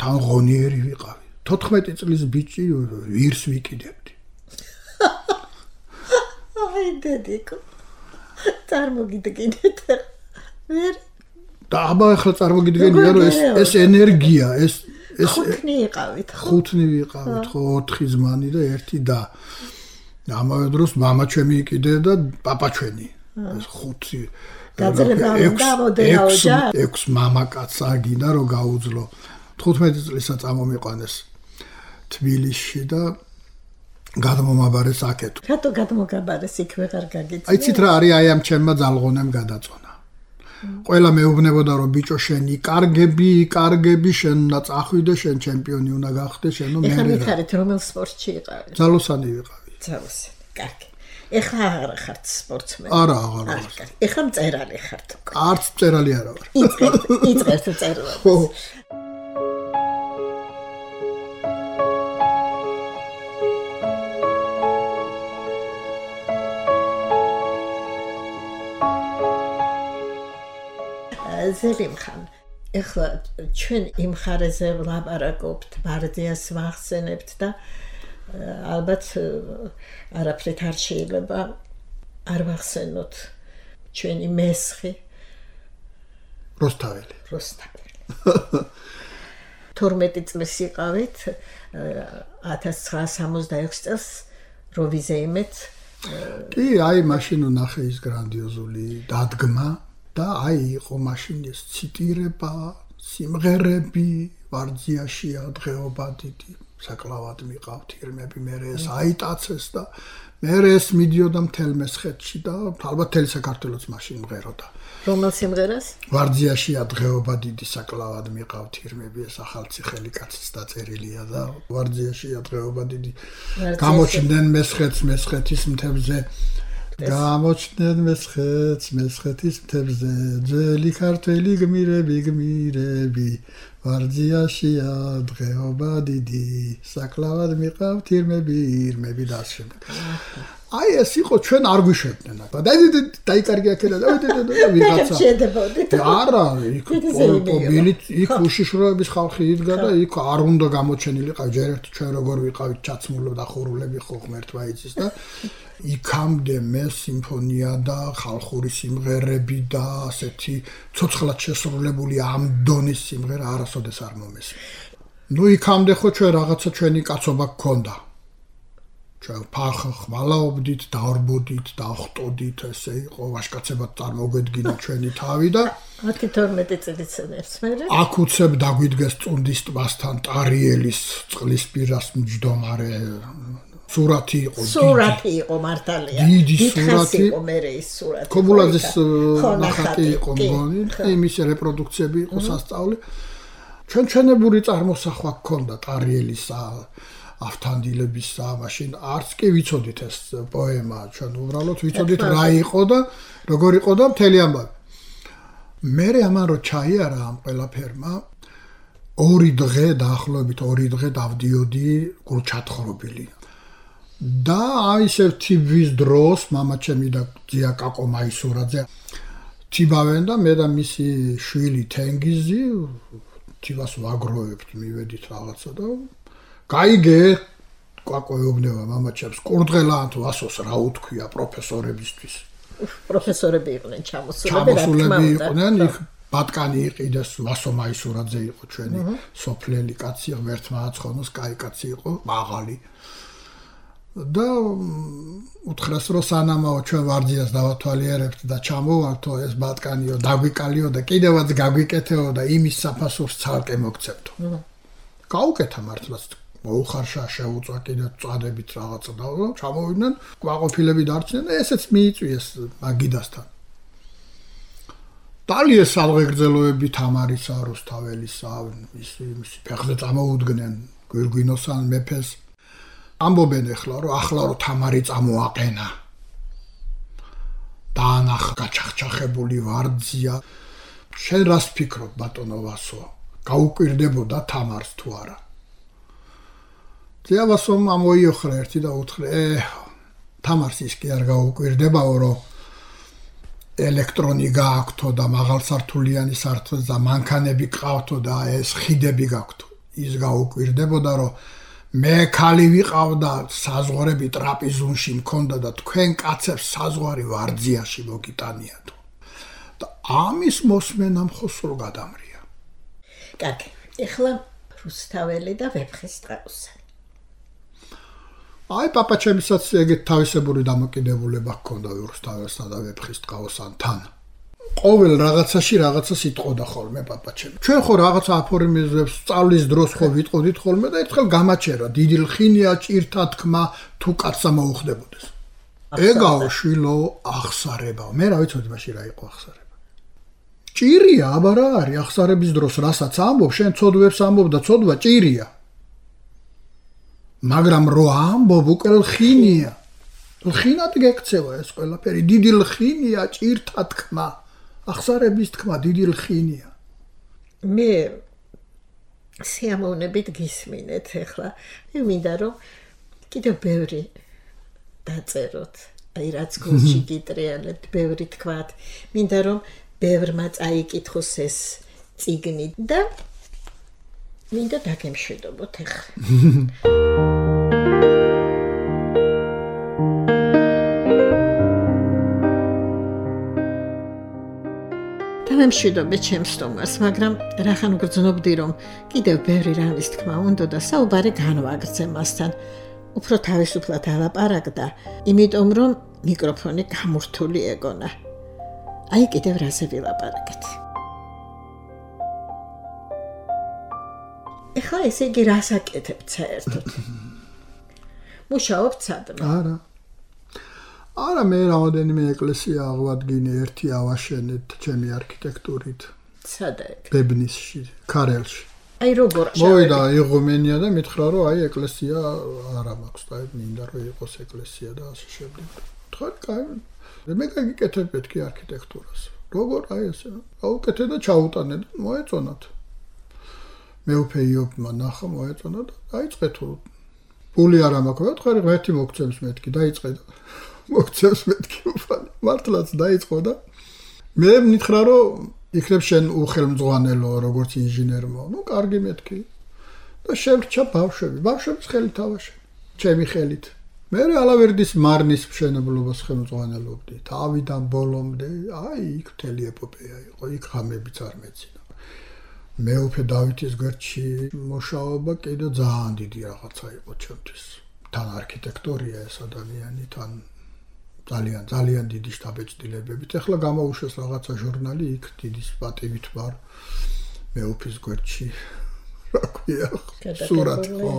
თან ღონიერი ვიყავი 14 წლის ბიჭი ვირს ვიკიდებდი აი დედიკო წარმოგიდგინეთ ვერ და აბა ახლა წარმოგიდგენია რომ ეს ენერგია ეს ხუთნი იყავით ხო 4 ზმანი და 1 და ამავე დროს მამა ჩემი იყიდე და პაპა ჩვენი ეს 5 გაძლება უნდა მოდელაო ჯა 6 მამაკაცსა გინდა რომ გაუძლო 15 წლისა წამომიყვანეს თბილისში და გადმომაბარეს აქეთ რატო გადმოგაბარეს იქ ვეღარ გაგიწია აი ცით რა არის აი ამ ჩემმა ძალღონემ გადაწონა ყველა მეუბნებოდა რომ ბიჭო შენი კარგები შენ უნდა წახვიდე შენ ჩემპიონი უნდა გახდე შენო მე ეხლა მითხარით რომელ სპორტში იყავი ძალოსანი ვიყავი ძალოსანი კარგი ეხლა აღარ ხართ სპორტსმენი არა აღარ ეხლა მწერალი ხართ არც მწერალი არა ვარ იწყებთ წერილს ხო ზელიმხან ეხლა ჩვენ იმ ხარეზე ვლაპარაკობთ ბარდიას ვახსენებთ და ალბათ არაფრით არ შეიძლება არ ვახსენოთ ჩვენი მესხი როსტაველი 12 წლის იყავით 1966 წელს როვიზეიმეთ კი აი მაშინ ნახე ის გრანდიოზული დადგმა და აი იყო მაშინ ეს ციტირება სიმღერები ვარძიაში დღეობა დიდი საკლავად მიყავთ ირმები მე ეს აიტაცეს და მე ეს მიდიოდა მთელ მესხეთში და ალბათ მთელი საქართველოც მაშინ მღეროდა რომელ სიმღერას? ვარძიაშია დღეობა დიდი საკლავად მიყავთ ირმები ეს ახალციხელი კაცის დაწერილია და ვარძიაშია დღეობა დიდი გამოჩნდნენ მესხეთის მთებზე გამოჩნდნენ მესხეთის მთებზე ძველი ქართველი გმირები ვარძიაშია დღეობა დიდი საკლავად მიყავთ ირმები და შემდეგ აი ეს იყო ჩვენ არ გვიშვებდნენ დაიკარგე აქელა და ვიღაცა არა იქ იქ უშიშროების ხალხი იდგა და იქ არ უნდა გამოჩენილიყავ ჯერ ერთ ჩვენ როგორ ვიყავით ჩაცმულობ და ხურულები ხო ღმერთმა იცის და იქამდე მე სიმფონია და ხალხური სიმღერები და ასეთი ცოცხლად შესრულებული ამ დონის სიმღერა არასოდეს არ მომესმის ნუ იქამდე ხო ჩვენ რაღაცა ჩვენი კაცობა გქონდა ჩვენ ხმალაობდით, დავრბოდით, დავხტოდით, ესე იყო, ვაშკაცებად წარმოგვედგინა ჩვენი თავი და 10-12 წელიწადს მერე აქ უცებ დაგვიდგეს წუნდის ტბასთან ტარიელის წყლის პირას მჯდომარე სურათი იყო მართალია დიდი სურათი იყო მერე ის სურათი კომულაძის ნახატი იყო მგონი იმის რეპროდუქციები იყო სასწაული ჩვენებური წარმოსახვა გქონდა ტარიელისა ავთანდილებისა, მაშინ არც კი ვიცოდით ეს პოემა, ჩვენ უბრალოდ ვიცოდით რა იყო და როგორ იყო და მთელი ამბავი. მერე ამან რო ჩაიარა ამ ყველაფერმა, 2 დღე დაახლოებით 2 დღე დავდიოდი გულჩათხრობილი. და აი ისევ თიბვის დროს მამაჩემი და ძია კაკო მაისურაძე თიბავენ და მე და მისი შვილი თენგიზი თიბას ვაგროვებთ, მივედით რაღაცა და გაიგე კვაკოეუბნება მამაჩემს კურდღელან თუ ასოს რა უთქვია პროფესორებისთვის პროფესორები იყვნენ ჩამოსულები იყვნენ იქ ბატკანი იყიდეს ვასო მაისურაძე იყო ჩვენი სოფლელი კაცი ღმერთმა აცხონოს კაი კაცი იყო მაღალი და უთხრეს რომ სანამაო ჩვენ ვარძიას დავათვალიერებთ და ჩამოვართო ეს ბატკანიო დაგვიკალიო და კიდევაც გაგვიკეთეო და იმის საფასურს ცალკე მოგცემთო გაუკეთა მართლაც მოუხარშა შეუწვა კიდე წადებით რაღაცა და ჩამოვიდნენ კვაყოფილები დარჩნენ და ესეც მიიწვიეს მაგიდასთან დალიეს ალღეგრძელოები თამარისა რუსთაველისა ის ფეხზე წამოუდგნენ გვირგვინოსან მეფეს ამბობენ ახლა რომ თამარი წამოაყენა დაანახ გაჩახჩახებული ვარძია შენ რას ფიქრობ ბატონო ვასო გაუკვირდებოდა თამარს თუ არა ძიავასომ ამოიოხრა ერთი და უთხრე თამარს ის კი არ გაუკვირდებაო რომ ელექტრონი გააქვთო და მაღალსართულიანი სართულზე და მანქანები ყავთო და ეს ხიდები გაქვთო ის გაუკვირდებოდა რომ მე ქალი ვიყავდა საზღვარები ტრაპიზონში მქონდა და თქვენ კაცებს საზღვარი ვარძიაში მოგიტანიათო და ამის მოსმენამ ხო სულ გადამრია კარგი ეხლა რუსთაველი და ვეფხისტყაოსანი აი პაპაჩემისაც ეგეთ თავისებური დამოკიდებულება ჰქონდა რუსთაველსა და ვეფხისტყაოსანთან ყოველ რაღაცაში რაღაცას იტყოდა ხოლმე პაპაჩემი ჩვენ ხო რაღაცა აფორმიზებს სწავლის დროს ხო ვიტყოდით ხოლმე და ერთხელ გამაჩერა დიდი ლხინია ჭირთა თქმა თუ კაცსა მოუხდებოდეს ეგაო შვილო ახსარება მე რა ვიცოდი მაშინ რა იყო ახსარება ჭირია აბა რა არის ახსარების დროს რასაც ამბობ შენ ცოდვებს ამბობ და ცოდვა ჭირია მაგრამ რო ამბობ უკვე ლხინია ლხინად გექცევა ეს ყველაფერი დიდი ლხინია ჭირთა თქმა ახსარების თქმა დიდი ლხინია მე სიამოვნებით გისმინეთ ეხლა მინდა რომ კიდევ ბევრი დაწეროთ აი რაც გულში გიტრიალებთ ბევრი თქვათ მინდა რომ ბევრმა წაიკითხოს ეს წიგნი და მინდა დაგემშვიდობოთ ეხლა მშვიდობე ჩემს სტომარს, მაგრამ რახან გრძნობდი რომ კიდევ ბევრი რამის თქმა უნდა და საუბარი განვაგრძე მასთან. უფრო თავისუფლად ალაპარაკდა, იმიტომ რომ მიკროფონი გამურთული ეგონა. აი კიდევ რაზე ვილაპარაკეთ. ეხლა ესე იგი რას აკეთებთ საერთოდ? მუშაობთ სადმე? არა. არა მე რამოდენიმე ეკლესია აღვადგინე ერთი ავაშენეთ ჩემი არქიტექტურით სადა ეგ ბებნისში ქარელში აი როგორ მოვიდა იღუმენია და მითხრა რომ აი ეკლესია არა მაქვს და მინდა რომ იყოს ეკლესია და ასე შემდეგ თქვა კაი მე გაგიკეთებ მეთქი არქიტექტურას როგორ აი ესე აუკეთე და ჩაუტანე და მოეწონათ მეუფე იობმა ნახა მოეწონა და დაიწყე თუ პული არ მაქვს თქვა ერთი მოგცემს მეთქი დაიწყე და მოგცემს მეთქი უფალი მართლაც დაიწყო და მე მითხრა რომ იქნებ შენ უხელმძღვანელო როგორც ინჟინერმა ნუ კარგი მეთქი და შევრჩა ბავშვების ხელით ავაშე ჩემი ხელით მე ალავერდის მარნის მშენებლობას ხელმძღვანელობდი თავიდან ბოლომდე აი იქ მთელი ეპოპეა იყო იქ ხამებიც არ მეცინა მეუფე დავითის გვერდში მუშაობა კიდე ძალიან დიდი რაღაცა იყო ჩემთვის თან არქიტექტურია ეს ადამიანი თან ძალიან დიდი შტაბეჭდილებებით ეხლა გამოუშვეს რაღაცა ჟურნალი იქ დიდი პატივით ვარ მეუფის გვერდში რა ქვია სურათი ხო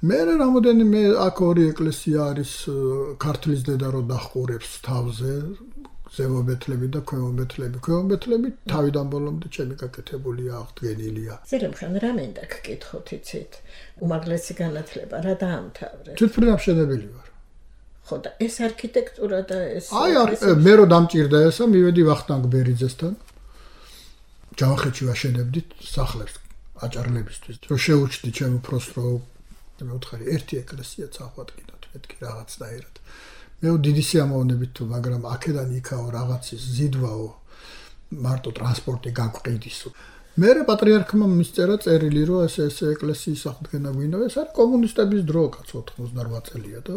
მე რამოდენიმე აქ ორი ეკლესია არის ქართლის დედა რო დახურებს თავზე ზემობეთლები და ქვემობეთლები თავიდან ბოლომდე ჩემი გაკეთებულია აღდგენილია ზერემხან რა მინდა გკითხოთ იცით უმაღლესი განათლება რა დაამთავრე თვითმფრინავშენებელი ვარ ხო და ეს არქიტექტურა და ეს აი მე რო დამჭირდა ესა მივედი ვახტანგ ბერიძესთან ჯავახეთში ვაშენებდით სახლებს აჭარლებისთვის რომ შეუჩდი ჩემ უფროს რომ მე ვთხარი ერთი ეკლესიაც აღვადგინოთ მეთქი რაღაცნაირად მე დიდი სიამოვნებით თუ მაგრამ აქედან იქაო რაღაცის ზიდვაო მარტო ტრანსპორტი გაგვყიდისო მე პატრიარქმა მისწერა წერილი რომ ეს ეკლესიის აღდგენა გვინდა ეს არის კომუნისტების დრო კაც 98 წელია და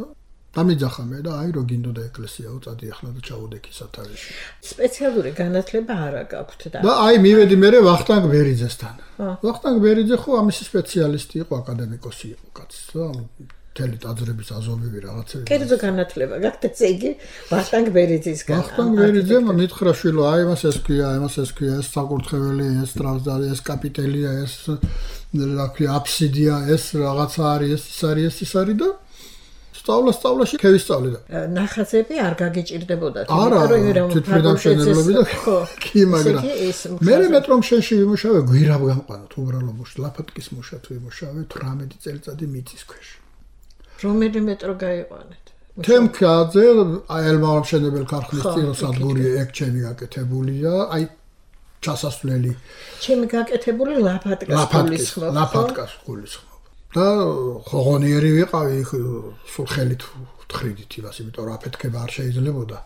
დამიძახა მე და აი რო გინდოდა ეკლესია უწადი ახლა და ჩაუდექი სათავეში სპეციალური განათლება არა გაქვთ და აი მივედი მე ვახტანგ ბერიძესთან ვახტანგ ბერიძე ხო ამის სპეციალისტი იყო აკადემიკოსი იყო კაცი და მთელი ტაძრების აზომები რაღაცები კერძო განათლება გაქვთ ესე იგი ვახტანგ ბერიძისგან ვახტანგ ბერიძემ მითხრა შვილო აი მას ეს ქვია ეს საკურთხეველი ეს ტრანსდარი ეს კაპიტელია ეს რა ქვია აფსიდია ეს რაღაცა არის ეს არის და სწავლაში ქევისწავლე და ნახაზები არ გაგიჭირდებოდათ არა თვითმფრინავშენებლები და კი მაგრამ მე მეტრომ შენში ვიმუშავე გვირაბ გამყანოთ უბრალო მუშა ლაფატკის მუშა თუ ვიმუშავე 18 წელიწადი მიწის ქვეშ რომელი მეტრო გაიყვანეთ თემქაძე აი ელმამშენებელ ქარხნის წიროსადგური ეგ ჩემი გაკეთებულია აი ჩასასვლელი ჩემი გაკეთებული ლაფატკას გულისხმობ და ხოღონიერი ვიყავი სულ ხელით ვთხრიდით იმას იმიტომ რომ აფეთქება არ შეიძლებოდა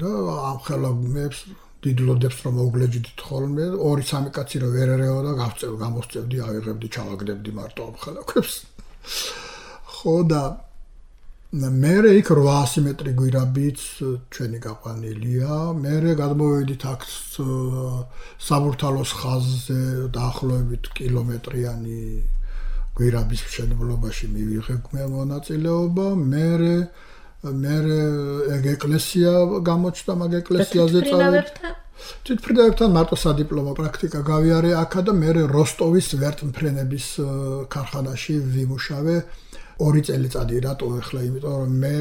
და ამ ხელოვნებს დიდლოდებს რომ მოგლეჯდით ხოლმე 2-3 კაცი რომ ვერ ერეო და გამოსწევდი ავიღებდი ჩავაგდებდი მარტო ამ ხელოვნებს ხო და მე იქ 800 მეტრი გვირაბიც ჩვენი გაყვანილია მე გადმოვედით აქ საბურთალოს ხაზზე დაახლოებით კილომეტრიანი გვირაბის მშენებლობაში მივიღე მონაწილეობა მე ეგ ეკლესია გამოჩნდა მაგ ეკლესიაზე წავედი თვითმფრინავებთან მარტო სადიპლომო პრაქტიკა გავიარე აქა და მე როსტოვის ვერტმფრენების ქარხანაში ვიმუშავე 2 წელიწადი რატო ახლა იმიტომ რომ მე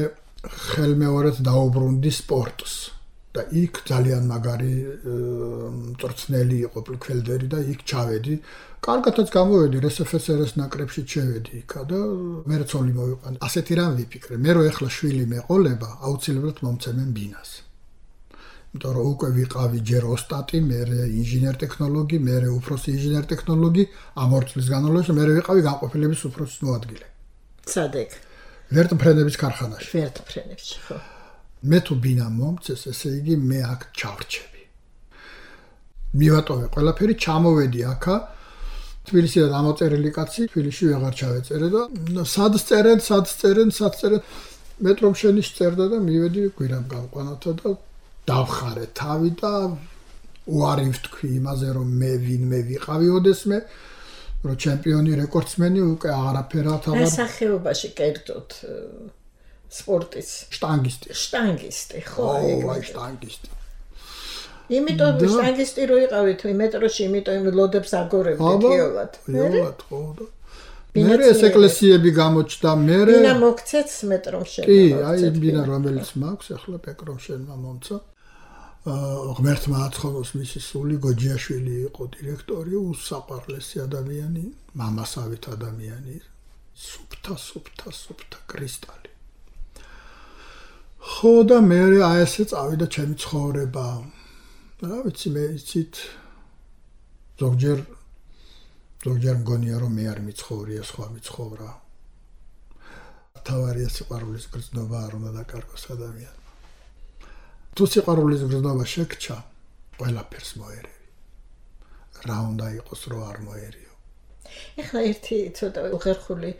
ხელმეორედ დაუბრუნდი სპორტს და იქ ძალიან მაგარი მწვრთნელი იყო პლკველდერი და იქ ჩავედი კარგათაც გამოვედი რსფსრ-ის ნაკრებში შევედი იქა და მე რცოლი მოვიყვანე ასეთი რამ ვიფიქრე მე რო ახლა შვილი მეყოლება აუცილებლად მომცემენ ბინას იმიტომ რომ უკვე ვიყავი ჯერ ოსტატი მე ინჟინერ ტექნოლოგი მე უფროსი ინჟინერ ტექნოლოგი ამ 2 წლის განმავლობაში მე ვიყავი განყოფილების უფროსის მოადგილე სადეკ ვერტმფრენების ქარხანაში ვერტმფრენებში ხო მე თუ ბინა მომწეს ესე იგი მე აქ ჩავრჩები მივატოვე ყველაფერი ჩამოვედი აქა თბილისიდან ამოწერილი კაცი თბილისში ვეღარ ჩავეწერე და სად წერენ მეტრომ შენის წერდა და მივედი გვირაბ გამყვანათა და დავხარე თავი და უარი ვთქვი იმაზე რომ მე ვინმე ვიყავი ოდესმე რომ ჩემპიონი რეკორდსმენი უკვე აღარაფერად აღარ სახეობაში კერძოდ სპორტის შტანგისტი ხო აი შტანგისტი იმიტომ შტანგისტი რო იყავით მეტროში იმიტომ ლოდებს აგორებდით იოლად იოლად ხო მე ეს ეკლესიები გამოჩნდა მე ბინა მოგცეც მეტრომ შენ კი აი ბინა რომელიც მაქვს ახლა პეკრომ შენმა მომცა ღმერთმა აცხადოს მისი სული გოჯიაშვილი იყო დირექტორი უსაყვარლესი ადამიანი მამასავით ადამიანი სუფთა კრისტალი ხო და მე აი ესე წავიდა ჩემი ცხოვრება რა ვიცი მე იცით ზოგჯერ მგონია რომ მე არ მიცხოვრია სხვა მიცხოვრა თავარია სიყვარულის გრძნობა არ უნდა დაკარგოს ადამიანს თუ სიყვარულის გრძნობა შეგჩა ყველაფერს მოერევი რა უნდა იყოს რო არ მოერიო ეხლა ერთი ცოტა უხერხული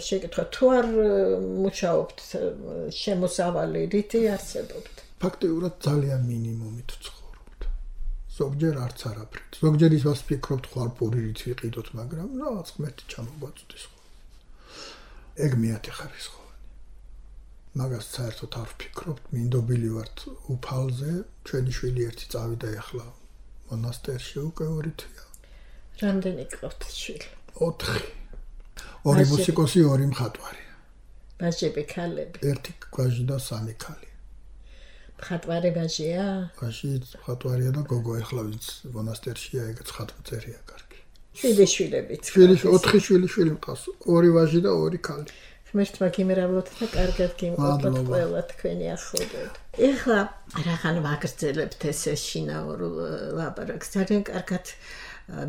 შეკითხვა თუ არ მუშაობთ შემოსავალი რითი არსებობთ ფაქტიურად ძალიან მინიმუმით ცხოვრობთ ზოგჯერ არც არაფრით ზოგჯერ ისევ ვფიქრობთ ხვალ პურით ვიყიდოთ მაგრამ რაღაც ღმერთი ჩამოგვაწვდის ეგ მეათე ხარისხოვანი მაგას საერთოდ არ ვფიქრობთ მინდობილი ვართ უფალზე ჩვენი შვილი ერთი წავიდა ეხლა მონასტერში უკვე 2 თვეა რამდენი გყავთ შვილი 4 ორი მუსიკოსი ორი მხატვარი ბაჟები ქალები ერთი ვაჟი და 3 ქალი მხატვარი ბაჟია ბაჟი მხატვარია და გოგო ეხლა ვინც მონასტერშია ეგეც ხატვწერია კარგი შვილებიც 4 შვილი მყავს 2 ვაჟი და 2 ქალი ღმერთმა გიმერავოთ და კარგად გიმყოფოთ ყველა თქვენი ახლობლად ეხლა რახან ვაგრძელებთ ეს შინაურ ლაპარაკს ძალიან კარგად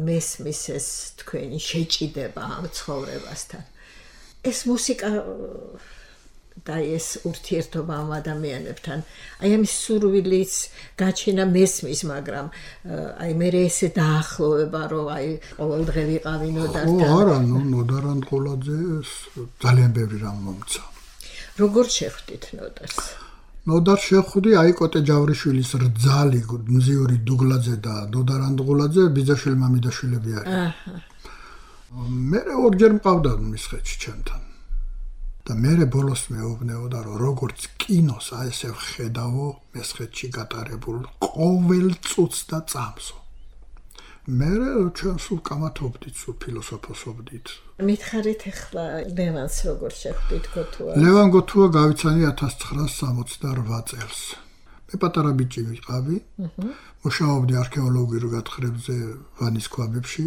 მესმის ეს თქვენი შეჭიდება ამ ცხოვრებასთან ეს მუსიკა და ეს ურთიერთობა ამ ადამიანებთან აი ამის სურვილის გაჩენა მესმის მაგრამ აი მე ესე დაახლოვება რომ აი ყოველდღე ვიყავი ნოდართან არა ნოდარანდღოლაძე ძალიან ბევრი რამ მომცა როგორ შეხვდით ნოდარს ნოდარ შეხვდი აი კოტე ჯავრიშვილის რძალი მზიური დუგლაძე და ნოდარანდღოლაძე ბიძაშვილ მამიდაშვილები არიან მე ორჯერ მყავდა მისხეთში ჩემთან და მე ბოლოს მეუბნეოდა რომ როგორც კინოს აი ესე ვხედავო მესხეთში გატარებულ ყოველ წუთს და წამსო მე ჩვენ სულ კამათობდით სულ ფილოსოფოსობდით მითხარით ახლა ლევანს როგორ შეხვდით გოთუა ლევან გოთუა გავიცანი 1968 წელს მე პატარა ბიჭი ვიყავი მუშაობდი არქეოლოგიურ გათხრებზე ვანის ქვაბებში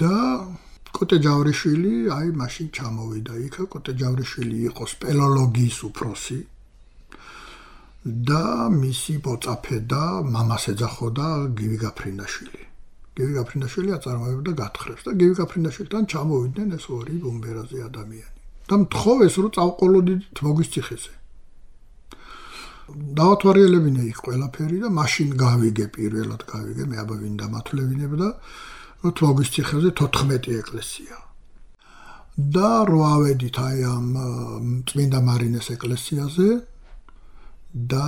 და კოტე ჯავრიშვილი აი მაშინ ჩამოვიდა იქა კოტე ჯავრიშვილი იყო სპელოლოგიის უფროსი და მისი პოწაფე და მამას ეძახოდა გივი გაფრინდაშვილი გივი გაფრინდაშვილი აწარმოებდა გათხრებს და გივი გაფრინდაშვილთან ჩამოვიდნენ ეს ორი ბუმბერაზი ადამიანი და მთხოვეს რომ წავყოლოდით მოგვის ციხეზე დავათვალიერებინე იქ ყველაფერი და მაშინ გავიგე პირველად გავიგე მე აბა ვინ დამათვლევინებდა თმოგვის ციხეზე 14 ეკლესია და რვავედით აი ამ წმინდა მარინეს ეკლესიაზე და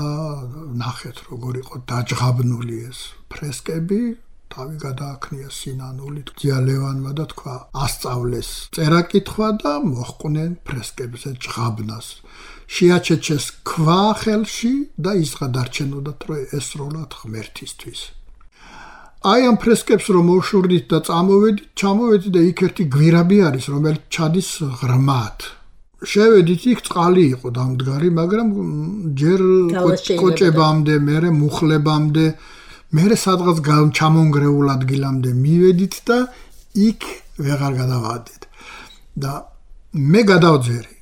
ნახეთ როგორ იყო დაჯღაბნული ეს ფრესკები თავი გადააქნია სინანულით ძიალევანმა და თქვა ასწავლეს წერა-კითხვა და მოჰყვნენ ფრესკებზე ჯღაბნას შეაჩეჩეს ქვა ხელში და ის გადარჩენოდათ რომ ესროლათ ღმერთისთვის აი ამ ფრესკებს რომ მოვშურდით და ჩამოვედით და იქ ერთი გვირაბი არის რომელიც ჩადის ღრმად შევედით იქ წყალი იყო დამდგარი მაგრამ ჯერ კოჭებამდე მერე მუხლებამდე მერე სადღაც ჩამონგრეულ ადგილამდე მივედით და იქ ვეღარ გადავადეთ და მე გადავძერი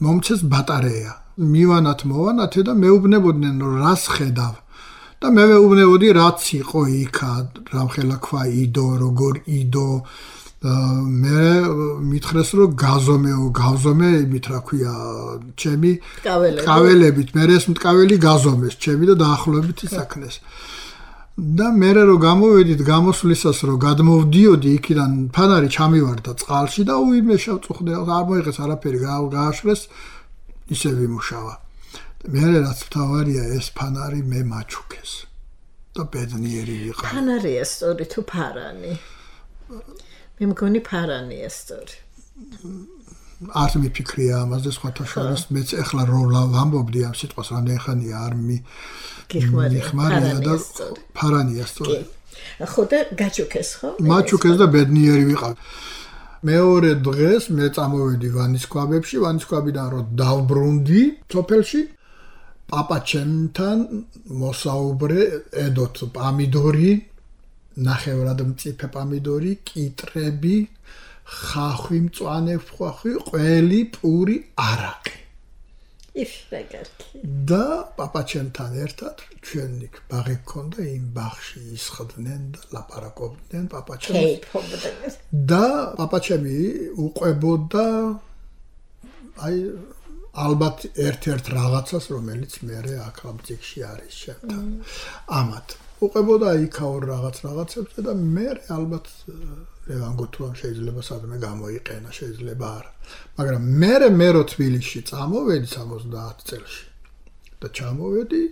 მომცეს ბატარეა მივანათ მოვანათე და მეუბნებოდნენ რომ რას ხედავ და მე მეუბნებოდი რაც იყო იქა რამხელა ქვა იდო როგორ იდო მე მითხრეს რომ გავზომე იმით რა ქვია ჩემი ტკაველებით მე ეს მტკაველი გაზომეს ჩემი და დაახლოებით ისაქნეს და მე რომ გამოვედით გამოსვლისას რომ გადმოვდიოდი იქიდან ფანარი ჩამივარდა წყალში და უიმე შევწუხდე არ მოიღეს არაფერი გააშრეს ისე ვიმუშავა მე რაც თავარია ეს ფანარი მე მაჩუქეს და ბედნიერი ვიყავ ფანარია სწორი თუ ფარანი მე მგონი ფარანია სწორი არ მიფიქრია ამაზე სხვათა შორის მეც ეხლა რომ ვამბობდი ამ სიტყვას რამდენი ხანია არ მიხმარია და ფარანია სწორი ხო და გაჩუქეს ხო მაჩუქეს და ბედნიერი ვიყავ მეორე დღეს მე წამოვედი ვანისქვაბებში, ვანისქვაბიდან რო დავბრუნდი სოფელში, პაპაჩემთან მოსაუბრე, ედოთ პამიდორი, ნახევრად მწიფე პამიდორი, კიტრები, ხახვი, მწვანე ხახვი, ყველი, პური, არაყი. და პაპაჩემთან ერთად ჩვენ იქ ბაღი გქონდა, იმ ბაღში ისხდნენ და ლაპარაკობდნენ პაპაჩემს. და პაპაჩემი უყვებოდა აი ალბათ ერთ-ერთ რაღაცას, რომელიც მე აქ ამ წიგში არის შემთან. ამათ უყვებოდა იქაურ რაღაცებზე და მე ალბათ ლევან გოთუამ შეიძლება სადმე გამოიყენა, შეიძლება არა. მაგრამ მე რო თბილისში წამოვედი 70 წელში და ჩამოვედი,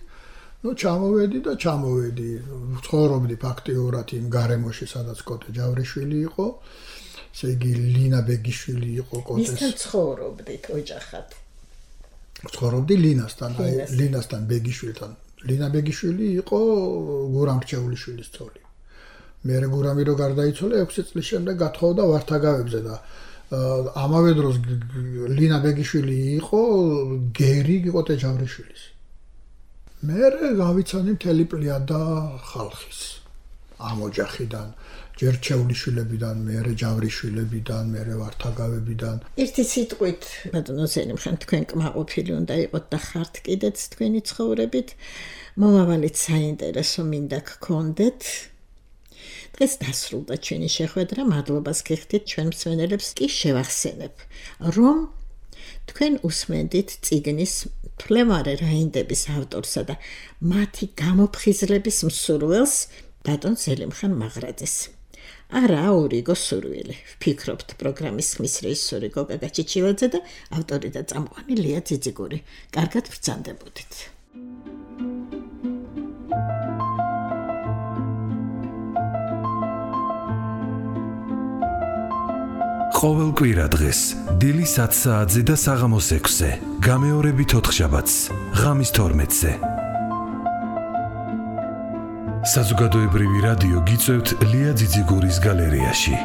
ცხოვრობდი ფაქტიურად იმ გარემოში, სადაც კოტე ჯავრიშვილი იყო, ესე იგი ლინა ბეგიშვილი იყო კოტეს. მისთან ცხოვრობდით ოჯახად? ცხოვრობდი ლინასთან ბეგიშვილთან. ლინა ბეგიშვილი იყო გურამ რჩეულიშვილის ცოლი. მე გურამი რო გარდაიცვალა 6 წლის შემდეგ გათხოვდა ვართაგავებზე და ამავე დროს ლინა ბეგიშვილი იყო გერი კოტე ჯავრიშვილის. მე გავიცანი მთელი პლიადა ხალხის ამ ოჯახიდან, ჯერ რჩეულიშვილებიდან, მე ჯავრიშვილებიდან, მე ვართაგავებიდან. ერთი სიტყვით, ბატონო ზელიმხან, თქვენ კმაყოფილი უნდა იყოთ და ხართ კიდეც თქვენი ცხოვრებით. მომავალით საინტერესო მინდა გქონდეთ. დღეს დასრულდა ჩვენი შეხვედრა, მადლობას გიხდით ჩვენ მსმენელებს. კი შევახსენებ, რომ თქვენ უსმენდით წიგნის ფლევარე რაინდების ავტორსა და მათი გამოფხიზლების მსურველს ბატონ ზელიმხან მაღრაძეს. არა ორიგო სურვილი. ვფიქრობთ პროგრამის ხმის რეჟისორი გოგა გაჩიჩილაძე და ავტორი და წამყვანი ლია ძიძიგური. კარგად ბრძანდებოდით. ყოველ კვირა დღეს დილის 10 საათზე და საღამოს 6-ზე, გამეორებით 4 შაბათს, ღამის 12-ზე. საზოგადოებრივი რადიო გიწევთ ლია ძიძიგურის გალერეაში.